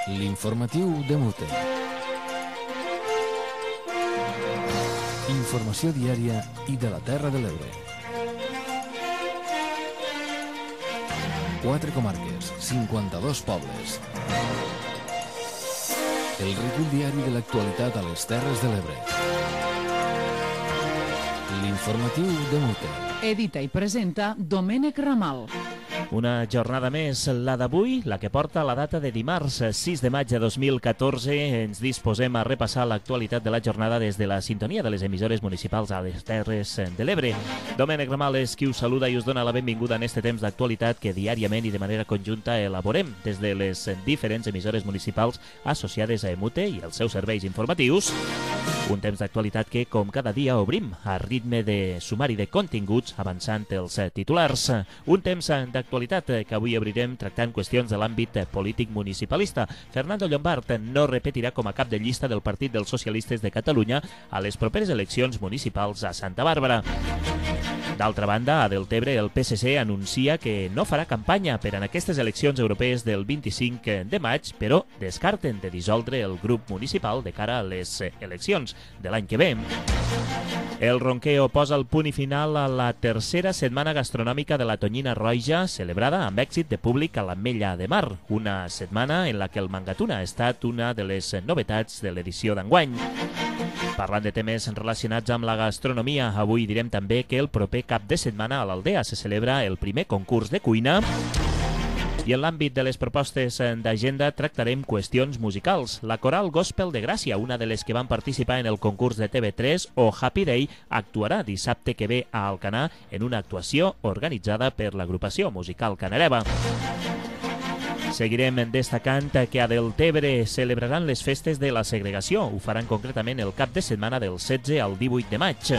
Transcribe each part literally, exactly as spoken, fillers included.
L'informatiu de Mute. Informació diària i de la Terra de l'Ebre. Quatre comarques, cinquanta-dos pobles. El recull diari de l'actualitat a les Terres de l'Ebre. L'informatiu de Mute. Edita i presenta Domènec Ramal. Una jornada més, la d'avui, la que porta la data de dimarts sis de maig de dos mil catorze. Ens disposem a repassar l'actualitat de la jornada des de la sintonia de les emissores municipals a les Terres de l'Ebre. Domènec Ramal és qui us saluda i us dona la benvinguda en este temps d'actualitat que diàriament i de manera conjunta elaborem des de les diferents emissores municipals associades a Emute i els seus serveis informatius. Un temps d'actualitat que, com cada dia, obrim a ritme de sumari de continguts, avançant els titulars. Un temps d'actualitat que avui obrirem tractant qüestions de l'àmbit polític municipalista. Fernando Llombart no repetirà com a cap de llista del Partit dels Socialistes de Catalunya a les properes eleccions municipals a Santa Bàrbara. D'altra banda, a Deltebre el P S C anuncia que no farà campanya per en aquestes eleccions europees del vint-i-cinc de maig, però descarten de dissoldre el grup municipal de cara a les eleccions de l'any que ve. El Ronqueo posa el punt i final a la tercera setmana gastronòmica de la Tonyina Roja, celebrada amb èxit de públic a l'Ametlla de Mar, una setmana en la que el Mangatuna ha estat una de les novetats de l'edició d'enguany. Parlant de temes relacionats amb la gastronomia, avui direm també que el proper cap de setmana a l'Aldea se celebra el primer concurs de cuina. I en l'àmbit de les propostes d'agenda tractarem qüestions musicals. La Coral Gospel de Gràcia, una de les que van participar en el concurs de T V tres, o Happy Day, actuarà dissabte que ve a Alcanar en una actuació organitzada per l'agrupació musical Canareva. Seguirem destacant que a Deltebre celebraran les festes de la segregació. Ho faran concretament el cap de setmana del setze al divuit de maig.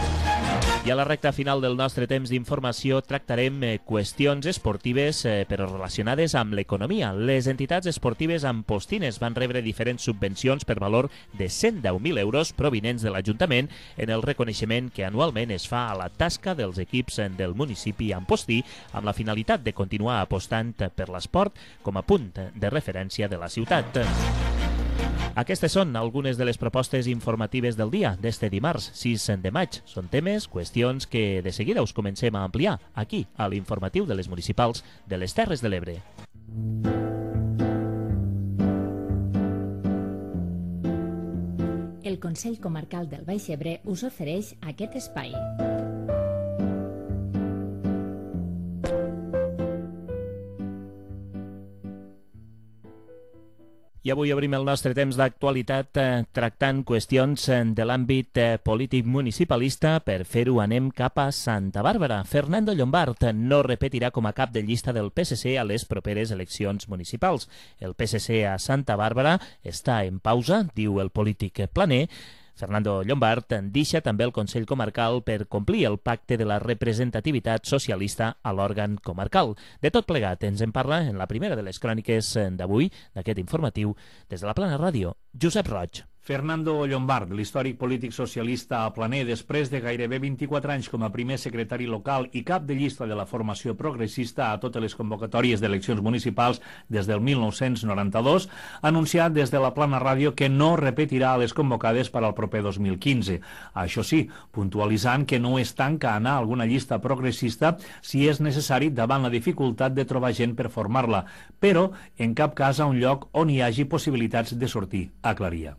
I a la recta final del nostre temps d'informació tractarem qüestions esportives però relacionades amb l'economia. Les entitats esportives ampostines van rebre diferents subvencions per valor de cent deu mil euros provinents de l'Ajuntament en el reconeixement que anualment es fa a la tasca dels equips del municipi ampostí amb la finalitat de continuar apostant per l'esport com a punt de referència de la ciutat. Aquestes són algunes de les propostes informatives del dia d'este dimarts sis de maig. Són temes, qüestions que de seguida us comencem a ampliar aquí, a l'informatiu de les municipals de les Terres de l'Ebre. El Consell Comarcal del Baix Ebre us ofereix aquest espai. I avui obrim el nostre temps d'actualitat eh, tractant qüestions eh, de l'àmbit eh, polític municipalista. Per fer-ho anem cap a Santa Bàrbara. Fernando Llombart no repetirà com a cap de llista del P S C a les properes eleccions municipals. El P S C a Santa Bàrbara està en pausa, diu el polític planer. Fernando Llombart deixa també el Consell Comarcal per complir el pacte de la representativitat socialista a l'òrgan comarcal. De tot plegat ens en parla en la primera de les cròniques d'avui, d'aquest informatiu, des de la Plana Ràdio, Josep Roig. Fernando Llombart, l'històric polític socialista a Planer, després de gairebé vint-i-quatre anys com a primer secretari local i cap de llista de la formació progressista a totes les convocatòries d'eleccions municipals des del mil nou-cents noranta-dos, ha anunciat des de la Plana Ràdio que no repetirà les convocades per al proper dos mil quinze. Això sí, puntualitzant que no es tanca a anar a alguna llista progressista si és necessari davant la dificultat de trobar gent per formar-la, però en cap cas a un lloc on hi hagi possibilitats de sortir, aclaria.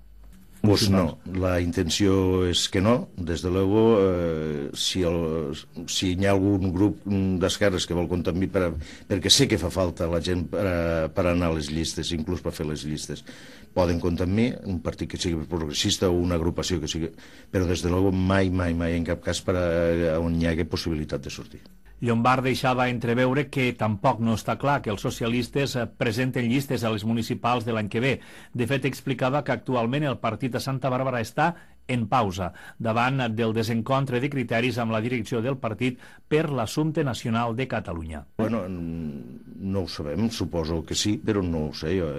Pues no, la intenció és que no. Des de luego, eh, si, el, si hi ha algun grup d'esquerres que vol comptar amb mi, per, perquè sé que fa falta la gent per, a, per anar a les llistes, inclús per fer les llistes, poden comptar amb mi, un partit que sigui progressista o una agrupació que sigui... Però des de luego mai, mai, mai, en cap cas per a, on hi hagi possibilitat de sortir. Llombart deixava entreveure que tampoc no està clar que els socialistes presenten llistes a les municipals de l'any que ve. De fet, explicava que actualment el partit a Santa Bàrbara està en pausa, davant del desencontre de criteris amb la direcció del partit per l'assumpte nacional de Catalunya. Bueno, no ho sabem, suposo que sí, però no ho sé. Jo.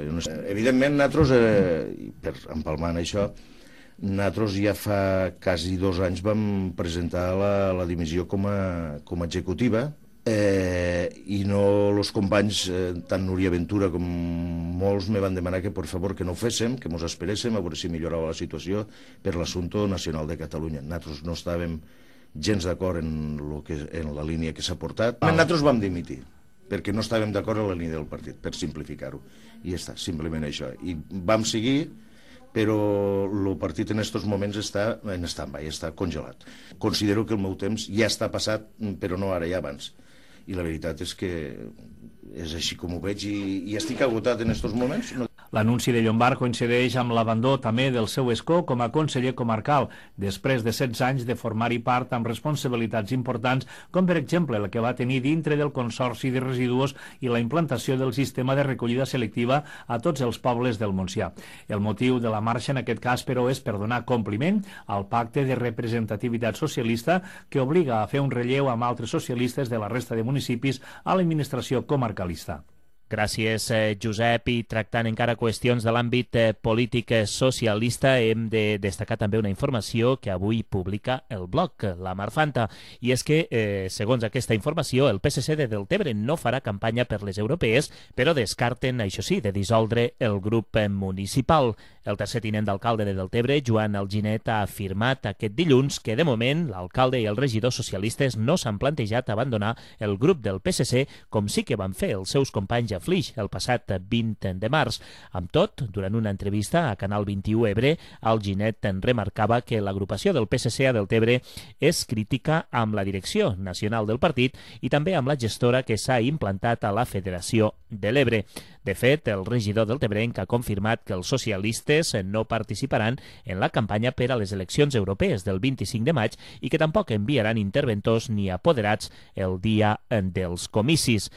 Evidentment, nosaltres, eh, per empalmant això, nosaltres ja fa quasi dos anys vam presentar la, la dimissió com a, com a executiva eh, i no els companys, eh, tant Núria Ventura com molts me van demanar que, per favor, que no ho féssim, que ens esperéssim a veure si millorava la situació per l'assumpte nacional de Catalunya. Nosaltres no estàvem gens d'acord en, lo que, en la línia que s'ha portat. Ah. Nosaltres vam dimitir, perquè no estàvem d'acord en la línia del partit, per simplificar-ho. I ja està, simplement això. I vam seguir, però el partit en aquests moments està en stand-by, està congelat. Considero que el meu temps ja està passat, però no ara, ja abans. I la veritat és que és així com ho veig i, i estic agotat en aquests moments. No... L'anunci de Llombart coincideix amb l'abandó també del seu escó com a conseller comarcal, després de setze anys de formar-hi part amb responsabilitats importants, com per exemple la que va tenir dintre del Consorci de Residus i la implantació del sistema de recollida selectiva a tots els pobles del Montsià. El motiu de la marxa en aquest cas, però, és per donar compliment al pacte de representativitat socialista que obliga a fer un relleu amb altres socialistes de la resta de municipis a l'administració comarcalista. Gràcies, eh, Josep. I tractant encara qüestions de l'àmbit eh, polític eh, socialista, hem de destacar també una informació que avui publica el blog, la Marfanta. I és que, eh, segons aquesta informació, el P S C de Deltebre no farà campanya per les europees, però descarten, això sí, de dissoldre el grup eh, municipal. El tercer tinent d'alcalde de Deltebre, Joan Alginet, ha afirmat aquest dilluns que, de moment, l'alcalde i els regidors socialistes no s'han plantejat abandonar el grup del P S C, com sí que van fer els seus companys a Flix el passat vint de març. Amb tot, durant una entrevista a Canal vint-i-u Ebre, Alginet en remarcava que l'agrupació del P S C a Deltebre és crítica amb la direcció nacional del partit i també amb la gestora que s'ha implantat a la Federació de l'Ebre. De fet, el regidor deltebrenc ha confirmat que els socialistes no participaran en la campanya per a les eleccions europees del vint-i-cinc de maig i que tampoc enviaran interventors ni apoderats el dia dels comicis.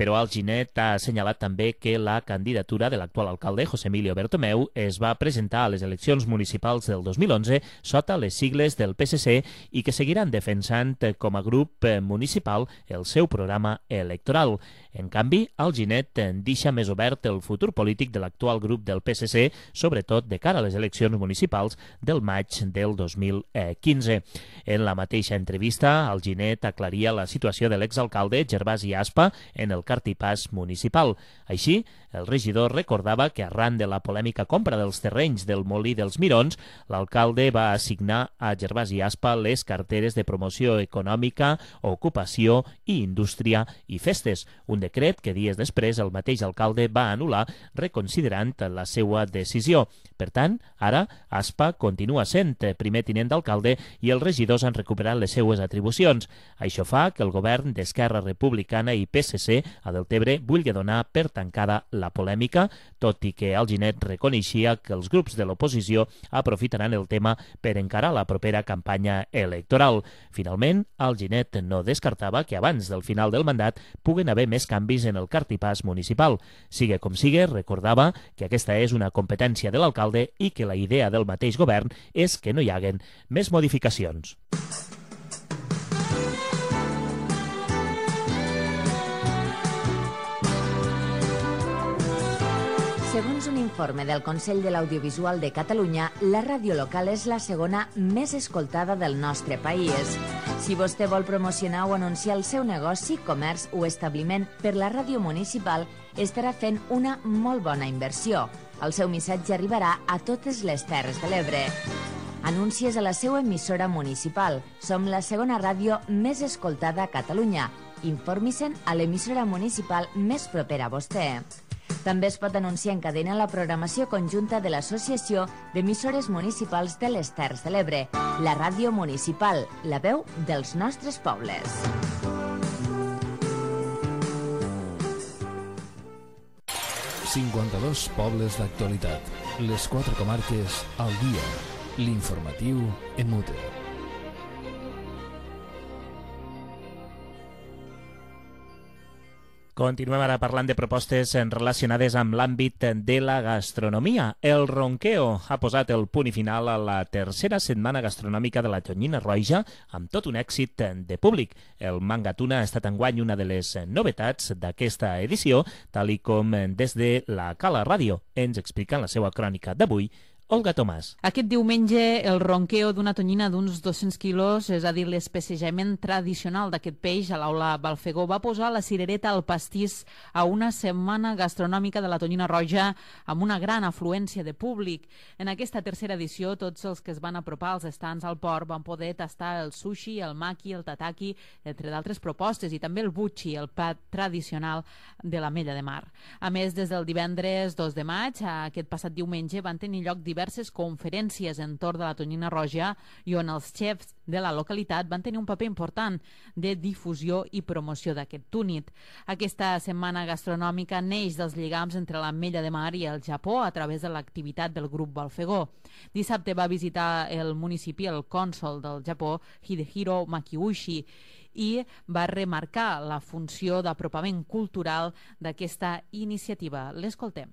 Però Alginet ha assenyalat també que la candidatura de l'actual alcalde, José Emilio Bertomeu, es va presentar a les eleccions municipals del dos mil onze sota les sigles del P S C i que seguiran defensant com a grup municipal el seu programa electoral. En canvi, Alginet deixa més obert el futur polític de l'actual grup del P S C, sobretot de cara a les eleccions municipals del maig del dos mil quinze. En la mateixa entrevista, Alginet aclaria la situació de l'exalcalde Gervasi Aspa en el cartipàs municipal. Així, el regidor recordava que arran de la polèmica compra dels terrenys del Molí dels Mirons, l'alcalde va assignar a Gervasi Aspa les carteres de promoció econòmica, ocupació i indústria i festes, un decret que dies després el mateix alcalde va anul·lar reconsiderant la seva decisió. Per tant, ara Aspa continua sent primer tinent d'alcalde i els regidors han recuperat les seues atribucions. Això fa que el govern d'Esquerra Republicana i P S C a Deltebre vulgui donar per tancada la polèmica, tot i que Alginet reconeixia que els grups de l'oposició aprofitaran el tema per encarar la propera campanya electoral. Finalment, Alginet no descartava que abans del final del mandat puguen haver més canvis en el cartipàs municipal. Sigue com sigue, recordava que aquesta és una competència de l'alcalde i que la idea del mateix govern és que no hi haguen més modificacions. Segons un informe del Consell de l'Audiovisual de Catalunya, la ràdio local és la segona més escoltada del nostre país. Si vostè vol promocionar o anunciar el seu negoci, comerç o establiment per la ràdio municipal, estarà fent una molt bona inversió. El seu missatge arribarà a totes les Terres de l'Ebre. Anuncies a la seva emissora municipal. Som la segona ràdio més escoltada a Catalunya. Informi-se'n a l'emissora municipal més propera a vostè. També es pot anunciar en cadena la programació conjunta de l'Associació d'Emissores Municipals de les Terres de l'Ebre, la ràdio municipal, la veu dels nostres pobles. cinquanta-dos pobles d'actualitat. Les quatre comarques al dia. L'informatiu en Mute. Continuem ara parlant de propostes relacionades amb l'àmbit de la gastronomia. El Ronqueo ha posat el punt i final a la tercera setmana gastronòmica de la Tonyina Roja amb tot un èxit de públic. El Mangatuna ha estat enguany una de les novetats d'aquesta edició, tal i com des de la Cala Ràdio ens explica en la seva crònica d'avui Olga Tomàs. Aquest diumenge el ronqueo d'una tonyina d'uns dos-cents quilos, és a dir, l'especejament tradicional d'aquest peix a l'aula Balfegó, va posar la cirereta al pastís a una setmana gastronòmica de la tonyina roja amb una gran afluència de públic. En aquesta tercera edició, tots els que es van apropar als estants al port van poder tastar el sushi, el maki, el tataki, entre d'altres propostes, i també el buchi, el plat tradicional de l'Ametlla de Mar. A més, des del divendres dos de maig, aquest passat diumenge, van tenir lloc diversos diverses conferències entorn de la tonyina roja i on els xefs de la localitat van tenir un paper important de difusió i promoció d'aquest túnid. Aquesta setmana gastronòmica neix dels lligams entre l'Ametlla de Mar i el Japó a través de l'activitat del grup Balfegó. Dissabte va visitar el municipi el cònsol del Japó, Hidehiro Makiushi, i va remarcar la funció d'apropament cultural d'aquesta iniciativa. L'escoltem.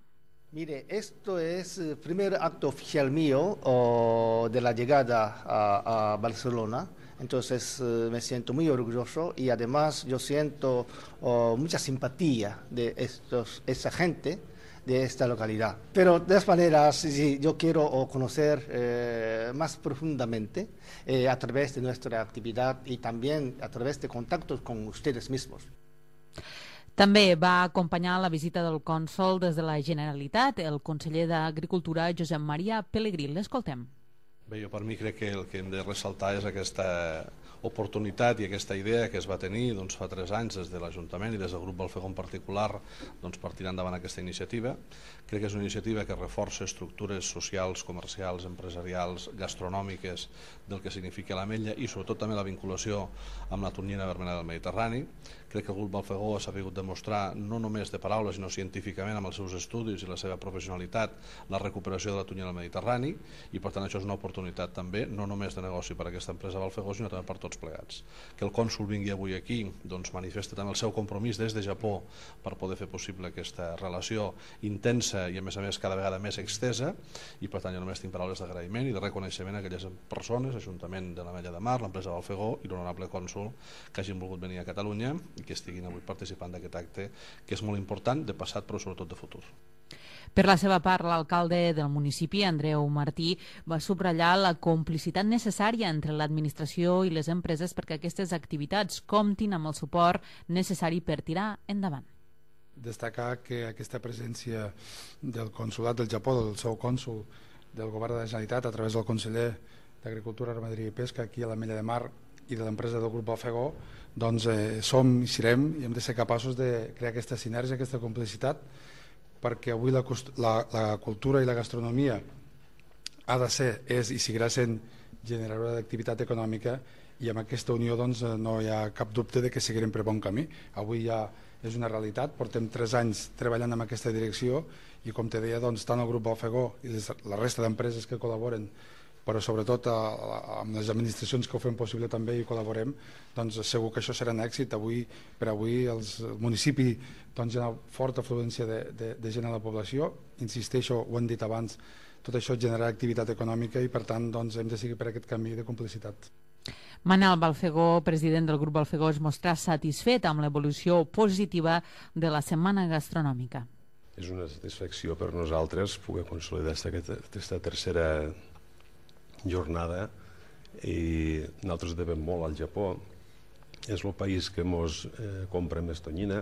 Mire, esto es el primer acto oficial mío oh, de la llegada a, a Barcelona, entonces eh, me siento muy orgulloso y además yo siento oh, mucha simpatía de estos, esa gente de esta localidad. Pero de todas maneras, sí, yo quiero oh, conocer eh, más profundamente eh, a través de nuestra actividad y también a través de contactos con ustedes mismos. També va acompanyar la visita del cònsol des de la Generalitat, el conseller d'Agricultura, Josep Maria Pelegrí. L'escoltem. Bé, jo per mi crec que el que hem de ressaltar és aquesta oportunitat i aquesta idea que es va tenir doncs, fa tres anys des de l'Ajuntament i des del grup Balfegó en particular doncs, per tirar endavant aquesta iniciativa. Crec que és una iniciativa que reforça estructures socials, comercials, empresarials, gastronòmiques del que significa l'Ametlla i sobretot també la vinculació amb la tonyina vermella del Mediterrani. Crec que el grup Balfegó ha sabut demostrar no només de paraules sinó científicament amb els seus estudis i la seva professionalitat la recuperació de la tonyina del Mediterrani i per tant això és una oportunitat també no només de negoci per a aquesta empresa Balfegó sinó també per tots plegats. Que el cònsol vingui avui aquí doncs manifesta també el seu compromís des de Japó per poder fer possible aquesta relació intensa i a més a més cada vegada més extesa i per tant jo només tinc paraules d'agraïment i de reconeixement a aquelles persones, Ajuntament de l'Ametlla de Mar, l'empresa Balfegó i l'honorable cònsol que hagin volgut venir a Catalunya i que estiguin avui participant d'aquest acte que és molt important de passat però sobretot de futur. Per la seva part, l'alcalde del municipi, Andreu Martí, va subratllar la complicitat necessària entre l'administració i les empreses perquè aquestes activitats comptin amb el suport necessari per tirar endavant. Destacar que aquesta presència del consolat del Japó, del seu cònsol, del govern de la Generalitat, a través del conseller d'Agricultura, Ramaderia i Pesca, aquí a l'Ametlla de Mar, i de l'empresa del grup Balfegó, doncs eh, som i serem i hem de ser capaços de crear aquesta sinergia, aquesta complicitat, perquè avui la, la, la cultura i la gastronomia ha de ser, és i seguirà sent generadora d'activitat econòmica i amb aquesta unió doncs, no hi ha cap dubte de que seguirem per bon camí. Avui ja és una realitat, portem tres anys treballant en aquesta direcció i com te deia, doncs, tant el grup Balfegó i les, la resta d'empreses que col·laboren però sobretot a, a, amb les administracions que ho fem possible també i col·laborem, doncs segur que això serà un èxit. Avui, per avui els, el municipi doncs, hi ha una forta afluència de, de, de gent a la població, insisteixo, ho hem dit abans, tot això generarà activitat econòmica i per tant doncs, hem de seguir per aquest camí de complicitat. Manel Balfegó, president del grup Balfegó, es mostrà satisfet amb l'evolució positiva de la setmana gastronòmica. És una satisfacció per nosaltres poder consolidar aquesta tercera jornada i nosaltres devem molt al Japó. És el país que ens eh, compra més tonyina,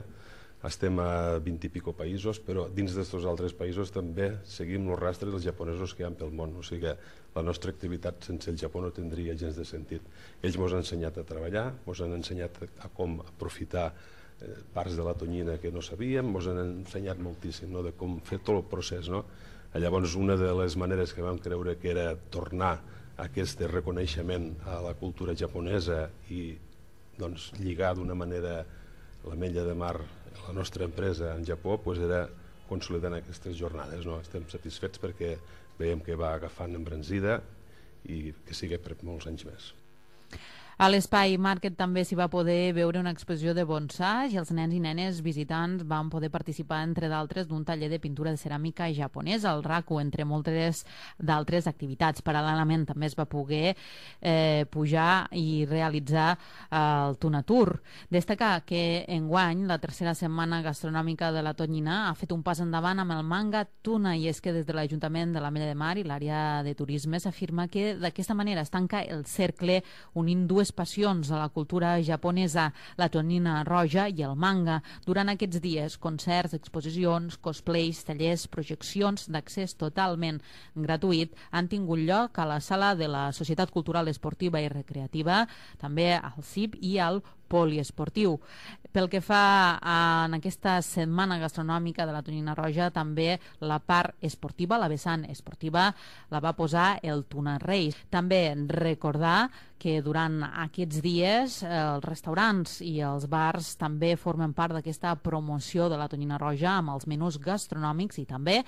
estem a vint i pico països, però dins d'aquests altres països també seguim els rastres dels japonesos que hi ha pel món, o sigui que la nostra activitat sense el Japó no tindria gens de sentit. Ells ens han ensenyat a treballar, ens han ensenyat a com aprofitar eh, parts de la tonyina que no sabíem, ens han ensenyat moltíssim, no?, de com fer tot el procés, no? Llavors, una de les maneres que vam creure que era tornar aquest reconeixement a la cultura japonesa i doncs, lligar d'una manera l'Ametlla de Mar, la nostra empresa en Japó, doncs era consolidant aquestes jornades. No? Estem satisfets perquè veiem que va agafant embranzida i que sigui per molts anys més. A l'Espai Market també s'hi va poder veure una exposició de bonsai i els nens i nenes visitants van poder participar, entre d'altres, d'un taller de pintura de ceràmica japonesa, el raku, entre moltes d'altres activitats. Paral·lelament també es va poder eh, pujar i realitzar eh, el Tuna Tour. Destacar que enguany la tercera setmana gastronòmica de la Tonyina ha fet un pas endavant amb el manga tuna, i és que des de l'Ajuntament de l'Ametlla de Mar i l'àrea de turisme s'afirma que d'aquesta manera es tanca el cercle unint dues passions de la cultura japonesa, la tonyina roja i el manga. Durant aquests dies, concerts, exposicions, cosplays, tallers, projeccions d'accés totalment gratuït han tingut lloc a la sala de la Societat Cultural Esportiva i Recreativa, també al C I P i al poliesportiu. Pel que fa a, en aquesta setmana gastronòmica de la Tonyina Roja, també la part esportiva, la vessant esportiva, la va posar el Tuna Reis. També recordar que durant aquests dies els restaurants i els bars també formen part d'aquesta promoció de la Tonyina Roja amb els menús gastronòmics i també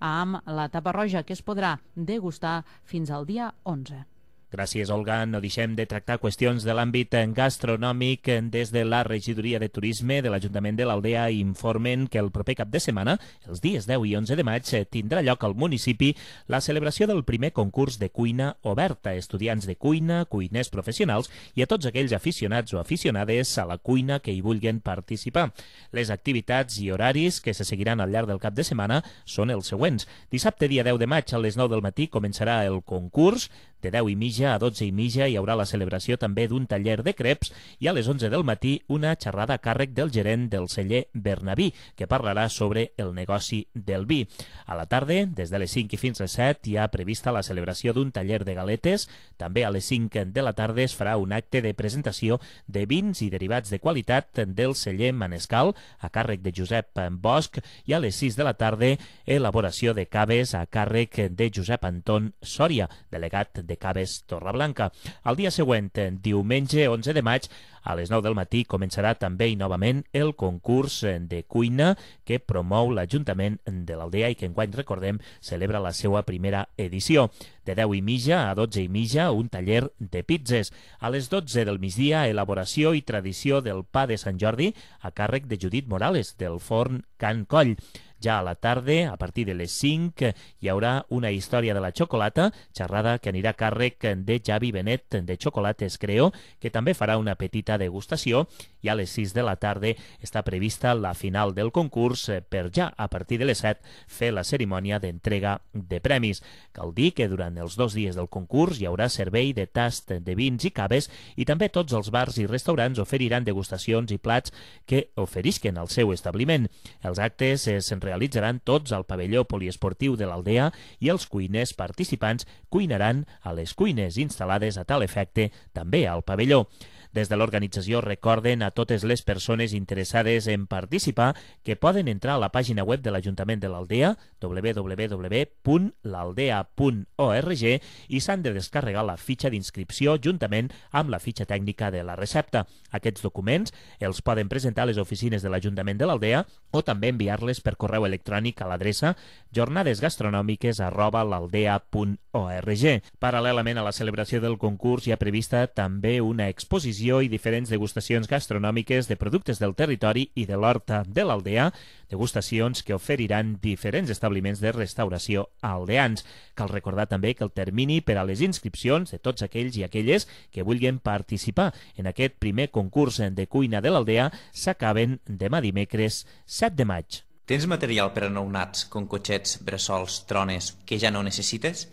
amb la tapa roja, que es podrà degustar fins al dia onze. Gràcies, Olga. No deixem de tractar qüestions de l'àmbit gastronòmic. Des de la Regidoria de Turisme de l'Ajuntament de l'Aldea informen que el proper cap de setmana, els dies deu i onze de maig, tindrà lloc al municipi la celebració del primer concurs de cuina obert a estudiants de cuina, cuiners professionals i a tots aquells aficionats o aficionades a la cuina que hi vulguin participar. Les activitats i horaris que se seguiran al llarg del cap de setmana són els següents. Dissabte, dia deu de maig, a les nou del matí, començarà el concurs. De deu i mitja a dotze i mitja hi haurà la celebració també d'un taller de creps i a les onze del matí una xerrada a càrrec del gerent del celler Bernabí, que parlarà sobre el negoci del vi. A la tarda, des de les cinc i fins a les set, hi ha prevista la celebració d'un taller de galetes. També a les cinc de la tarda es farà un acte de presentació de vins i derivats de qualitat del celler Manescal, a càrrec de Josep Bosch, i a les sis de la tarda elaboració de caves a càrrec de Josep Anton Sòria, delegat de Caves Torreblanca. El dia següent, diumenge onze de maig, a les nou del matí començarà també i novament el concurs de cuina que promou l'Ajuntament de l'Aldea i que enguany, recordem, celebra la seva primera edició. De deu i mitja a dotze i mitja, un taller de pizzas. A les dotze del migdia, elaboració i tradició del pa de Sant Jordi a càrrec de Judit Morales, del forn Can Coll. Ja a la tarda, a partir de les cinc, hi haurà una història de la xocolata, xerrada que anirà a càrrec de Javi Benet de Xocolates Creo, que també farà una petita degustació, i a les sis de la tarda està prevista la final del concurs per ja, a partir de les set, fer la cerimònia d'entrega de premis. Cal dir que durant els dos dies del concurs hi haurà servei de tast de vins i caves i també tots els bars i restaurants oferiran degustacions i plats que oferisquen al seu establiment. Els actes es realitzaran tots al pavelló poliesportiu de l'Aldea i els cuiners participants cuinaran a les cuines instal·lades a tal efecte també al pavelló. Des de l'organització recorden a totes les persones interessades en participar que poden entrar a la pàgina web de l'Ajuntament de l'Aldea, w w w punt l'aldea punt org, i s'han de descarregar la fitxa d'inscripció juntament amb la fitxa tècnica de la recepta. Aquests documents els poden presentar a les oficines de l'Ajuntament de l'Aldea o també enviar-les per correu electrònic a l'adreça jornadesgastronòmiques arroba l'aldea punt org. Paral·lelament a la celebració del concurs hi ha prevista també una exposició i diferents degustacions gastronòmiques de productes del territori i de l'horta de l'Aldea, degustacions que oferiran diferents establiments de restauració aldeans. Cal recordar també que el termini per a les inscripcions de tots aquells i aquelles que vulguin participar en aquest primer concurs de cuina de l'Aldea s'acaben demà dimecres set de maig. Tens material per a nounats, com cotxets, bressols, trones, que ja no necessites?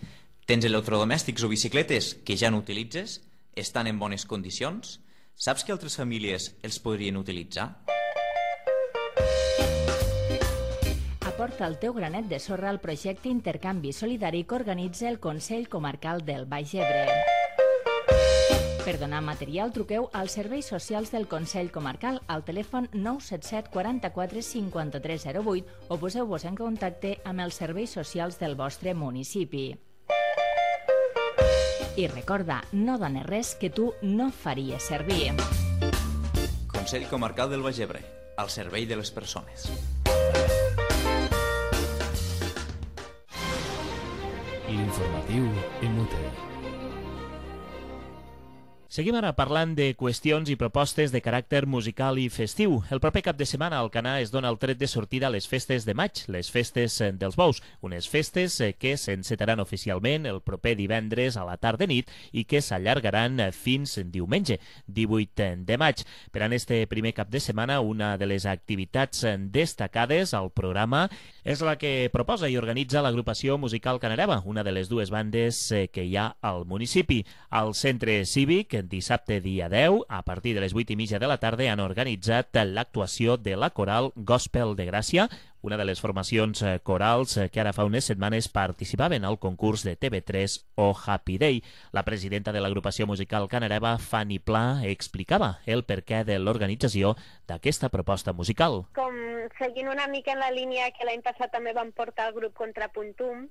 Tens electrodomèstics o bicicletes que ja no utilitzes? Estan en bones condicions? Saps que altres famílies els podrien utilitzar? Aporta el teu granet de sorra al projecte Intercanvi Solidari que organitza el Consell Comarcal del Baix Ebre. Per donar material, truqueu als serveis socials del Consell Comarcal al telèfon nou set set quaranta-quatre cinquanta-tres zero vuit o poseu-vos en contacte amb els serveis socials del vostre municipi. I recorda, no dones res que tu no faries servir. Consell Comarcal del Baix Ebre, al servei de les persones. L'informatiu Emute. Seguim ara parlant de qüestions i propostes de caràcter musical i festiu. El proper cap de setmana a Alcanar es dona el tret de sortida a les festes de maig, les festes dels bous, unes festes que s'encetaran oficialment el proper divendres a la tarda nit i que s'allargaran fins diumenge, divuit de maig. Per en este primer cap de setmana, una de les activitats destacades al programa és la que proposa i organitza l'agrupació musical Canareva, una de les dues bandes que hi ha al municipi. Al centre cívic, dissabte dia deu, a partir de les vuit i mitja de la tarda, han organitzat l'actuació de la coral Gospel de Gràcia, una de les formacions corals que ara fa unes setmanes participaven al concurs de T V tres o Happy Day. La presidenta de l'agrupació musical Canareva, Fanny Pla, explicava el perquè de l'organització d'aquesta proposta musical. Com seguint una mica en la línia que l'any passat també vam portar el grup Contrapuntum,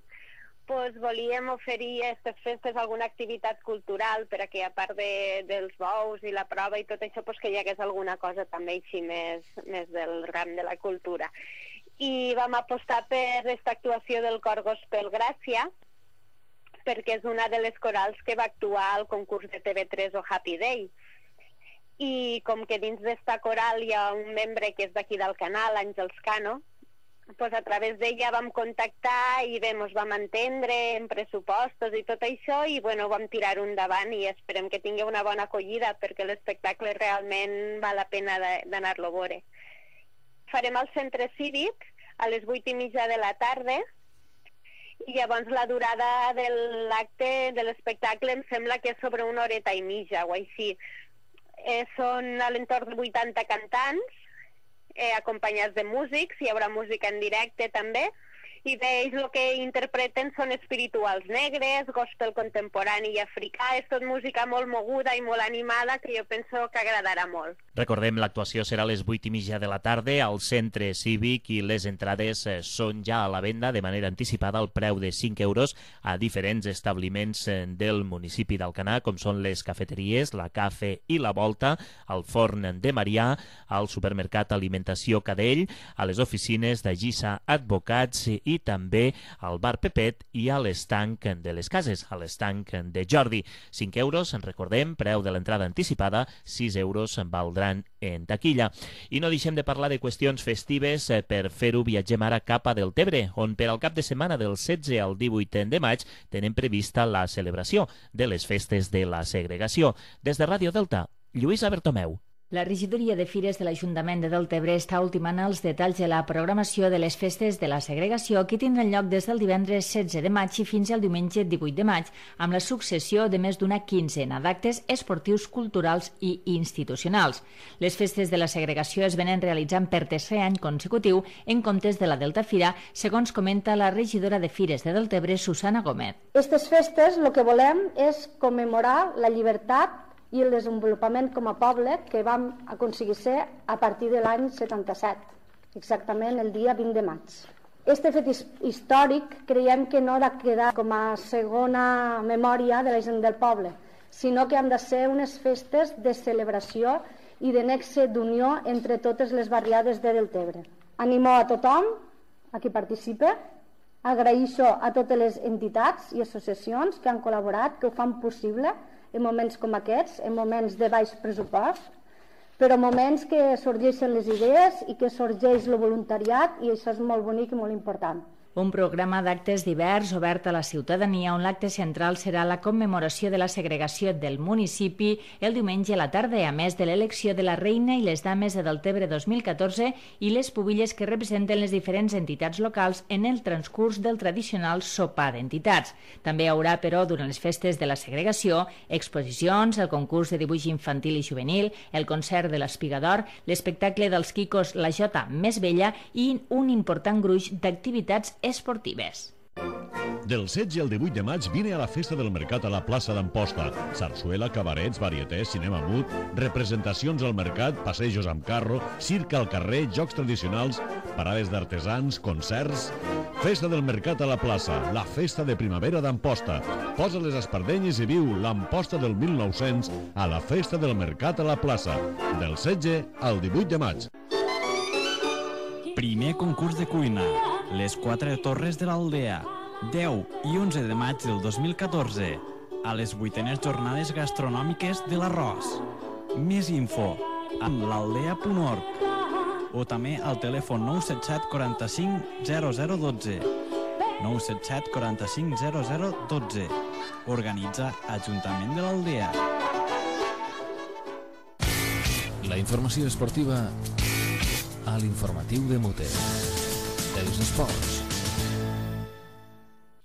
pues volíem oferir a aquestes festes alguna activitat cultural per a que, a part de, dels bous i la prova i tot això, pues que hi hagués alguna cosa també així més, més del ram de la cultura. I vam apostar per aquesta actuació del cor Gospel Gràcia, perquè és una de les corals que va actuar al concurs de T V tres o Happy Day. I com que dins d'esta coral hi ha un membre que és d'aquí del canal, Àngels Cano, pues a través d'ella vam contactar i bé, ens vam entendre en pressupostos i tot això i bueno, vam tirar-ho endavant i esperem que tingui una bona acollida perquè l'espectacle realment val la pena d'anar-lo a veure. Farem al centre cívic a les vuit i mitja de la tarda i llavors la durada de l'acte de l'espectacle em sembla que és sobre una horeta i mitja o així. Eh, són a l'entorn de vuitanta cantants, Eh, acompanyats de músics, hi haurà música en directe també, i bé, ells el que interpreten són espirituals negres, gospel contemporani i africà, és tot música molt moguda i molt animada que jo penso que agradarà molt. Recordem, l'actuació serà a les vuit i mitja de la tarda al centre cívic i les entrades són ja a la venda de manera anticipada al preu de cinc euros a diferents establiments del municipi d'Alcanar, com són les cafeteries, la Cafè i la Volta, al Forn de Marià, al supermercat Alimentació Cadell, a les oficines de Gissa Advocats i també al bar Pepet i a l'estanc de les cases, a l'estanc de Jordi. cinc euros, en recordem, preu de l'entrada anticipada, sis euros valdran en taquilla. I no deixem de parlar de qüestions festives, per fer-ho viatgem ara cap a Deltebre, on per al cap de setmana del setze al divuit de maig tenen prevista la celebració de les festes de la segregació. Des de Ràdio Delta, Lluïsa Bertomeu. La regidoria de Fires de l'Ajuntament de Deltebre està ultimant els detalls de la programació de les festes de la segregació que tindran lloc des del divendres setze de maig i fins al diumenge divuit de maig, amb la successió de més d'una quinzena d'actes esportius, culturals i institucionals. Les festes de la segregació es venen realitzant per tercer any consecutiu en comptes de la Delta Fira, segons comenta la regidora de Fires de Deltebre, Susana Gómez. Aquestes festes el que volem és commemorar la llibertat i el desenvolupament com a poble que vam aconseguir ser a partir de l'any setanta-set, exactament el dia vint de maig. Este fet històric creiem que no ha de quedar com a segona memòria de la gent del poble, sinó que han de ser unes festes de celebració i de nexe d'unió entre totes les barriades de Deltebre. Animo a tothom a qui participa, agraeixo a totes les entitats i associacions que han col·laborat, que ho fan possible en moments com aquests, en moments de baix pressupost, però moments que sorgeixen les idees i que sorgeix el voluntariat, i això és molt bonic i molt important. Un programa d'actes divers obert a la ciutadania on l'acte central serà la commemoració de la segregació del municipi el diumenge a la tarda, a més de l'elecció de la reina i les dames de Deltebre dos mil catorze i les pubilles que representen les diferents entitats locals en el transcurs del tradicional sopar d'entitats. També hi haurà, però, durant les festes de la segregació, exposicions, el concurs de dibuix infantil i juvenil, el concert de l'Espigador, l'espectacle dels Quicos La Jota Més Vella i un important gruix d'activitats esportives. Del setze al divuit de maig vine a la Festa del Mercat a la plaça d'Amposta. Sarsuela, cabarets, varietés, cinema mut, representacions al mercat, passejos amb carro, circ al carrer, jocs tradicionals, parades d'artesans, concerts... Festa del Mercat a la plaça, la festa de primavera d'Amposta. Posa les espardenyes i viu l'Amposta del mil nou-cents a la Festa del Mercat a la plaça, del setze al divuit de maig. Primer concurs de cuina. Les quatre torres de l'Aldea. deu i onze de maig del dos mil catorze. a les vuitenes jornades gastronòmiques de l'Arròs. Més info amb l'aldea punt org o també al telèfon nou set set quaranta-cinc zero zero dotze. nou set set quaranta-cinc zero zero dotze. Organitza Ajuntament de l'Aldea. La informació esportiva a l'informatiu de Mute. Els esports.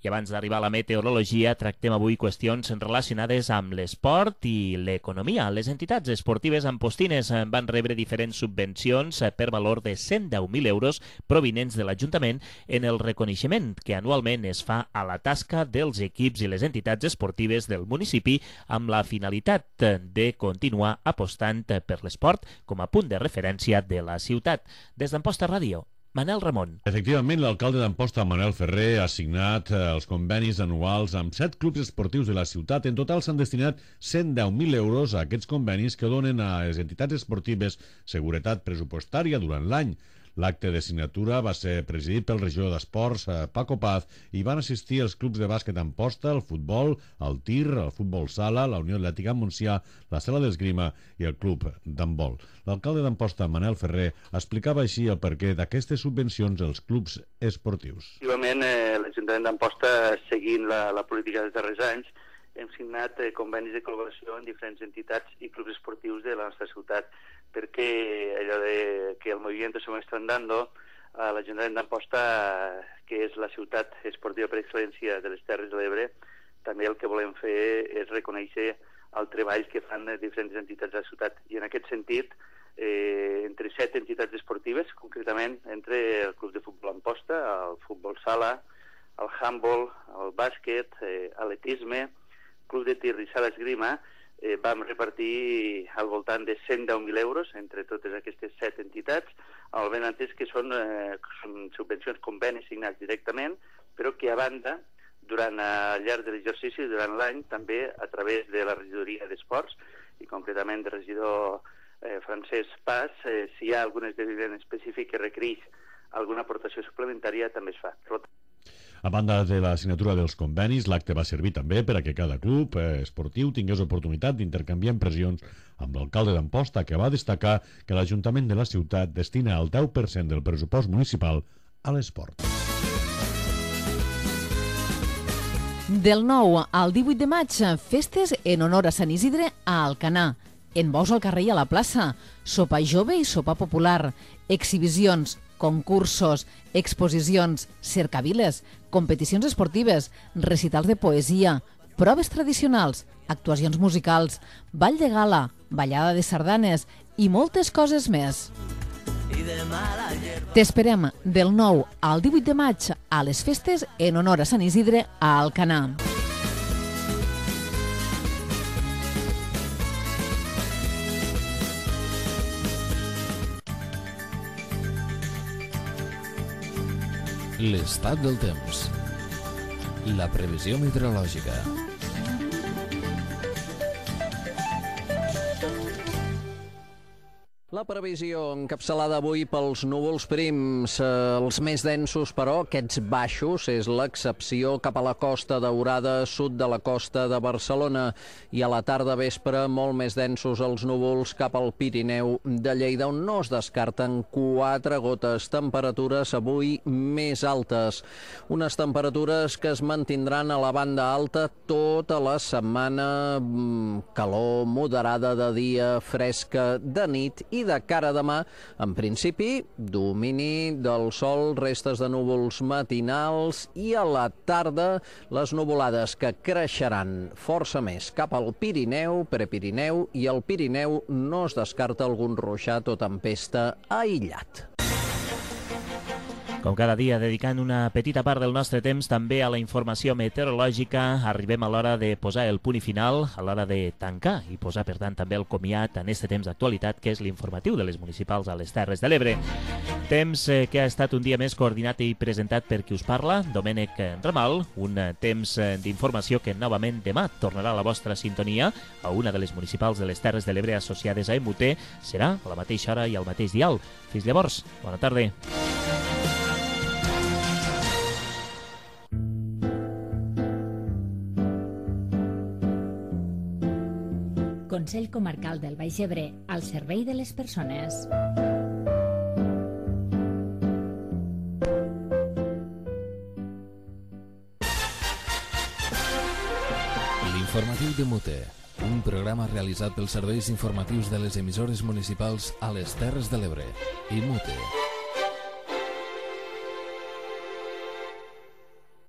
I abans d'arribar a la meteorologia, tractem avui qüestions relacionades amb l'esport i l'economia. Les entitats esportives ampostines van rebre diferents subvencions per valor de cent deu mil euros provinents de l'Ajuntament en el reconeixement que anualment es fa a la tasca dels equips i les entitats esportives del municipi amb la finalitat de continuar apostant per l'esport com a punt de referència de la ciutat. Des d'Amposta Ràdio, Manel Ramon. Efectivament, l'alcalde d'Amposta, Manel Ferrer, ha signat els convenis anuals amb set clubs esportius de la ciutat. En total s'han destinat cent deu mil euros a aquests convenis que donen a les entitats esportives seguretat pressupostària durant l'any. L'acte de signatura va ser presidit pel regidor d'Esports, Paco Paz, i van assistir els clubs de bàsquet Amposta, el futbol, el tir, el futbol sala, la Unió Atlètica Montsià, la sala d'esgrima i el club d'handbol. L'alcalde d'Amposta, Manel Ferrer, explicava així el perquè d'aquestes subvencions als clubs esportius. Efectivament, eh, l'Ajuntament d'Amposta, seguint la, la política dels darrers anys, hem signat eh, convenis de col·laboració amb diferents entitats i clubs esportius de la nostra ciutat, perquè allò de que el movimiento se muestra andando, a l'Ajuntament d'Amposta, que és la ciutat esportiva per excel·lència de les Terres de l'Ebre, també el que volem fer és reconèixer el treball que fan diferents entitats de la ciutat. I en aquest sentit, eh, entre set entitats esportives, concretament entre el Club de Futbol Amposta, el Futbol Sala, el Handball, el Bàsquet, eh, atletisme, Club de Tir i Sala Esgrima, eh, vam repartir al voltant de cent deu mil euros entre totes aquestes set entitats, al ben entès que són, eh, són subvencions, convenis signats directament, però que a banda, durant al llarg de l'exercici, durant l'any, també a través de la regidoria d'Esports, i concretament del regidor eh, Francesc Paz, eh, si hi ha algun esdeveniment específic que requereix alguna aportació suplementària, també es fa. A banda de la signatura dels convenis, l'acte va servir també per a que cada club eh, esportiu tingués oportunitat d'intercanviar impressions amb l'alcalde d'Amposta, que va destacar que l'Ajuntament de la ciutat destina el deu per cent del pressupost municipal a l'esport. Del nou al divuit de maig, festes en honor a Sant Isidre a Alcanar. En bous al carrer i a la plaça, sopar jove i sopar popular, exhibicions, concursos, exposicions, cercaviles, competicions esportives, recitals de poesia, proves tradicionals, actuacions musicals, ball de gala, ballada de sardanes i moltes coses més. T'esperem del nou al divuit de maig a les festes en honor a Sant Isidre a Alcanar. L'estat del temps. La previsió meteorològica. La previsió encapçalada avui pels núvols prims, els més densos, però aquests baixos, és l'excepció cap a la Costa Daurada, sud de la costa de Barcelona, i a la tarda vespre molt més densos els núvols cap al Pirineu de Lleida, on no es descarten quatre gotes, temperatures avui més altes. Unes temperatures que es mantindran a la banda alta tota la setmana, calor moderada de dia, fresca de nit, i de cara a demà, en principi, domini del sol, restes de núvols matinals, i a la tarda les nuvolades que creixeran força més cap al Pirineu, Prepirineu, i al Pirineu no es descarta algun ruixat o tempesta aïllat. Com cada dia, dedicant una petita part del nostre temps també a la informació meteorològica, arribem a l'hora de posar el punt i final, a l'hora de tancar i posar, per tant, també el comiat en este temps d'actualitat, que és l'informatiu de les municipals a les Terres de l'Ebre. Temps eh, que ha estat un dia més coordinat i presentat per qui us parla, Domènec Ramal, un temps d'informació que novament demà tornarà a la vostra sintonia, a una de les municipals de les Terres de l'Ebre associades a E M U T, serà a la mateixa hora i al mateix dial. Fins llavors, bona tarda. Consell Comarcal del Baix Ebre, al servei de les persones. L'informatiu de Mute, un programa realitzat pels serveis informatius de les emissores municipals a les Terres de l'Ebre i Mute.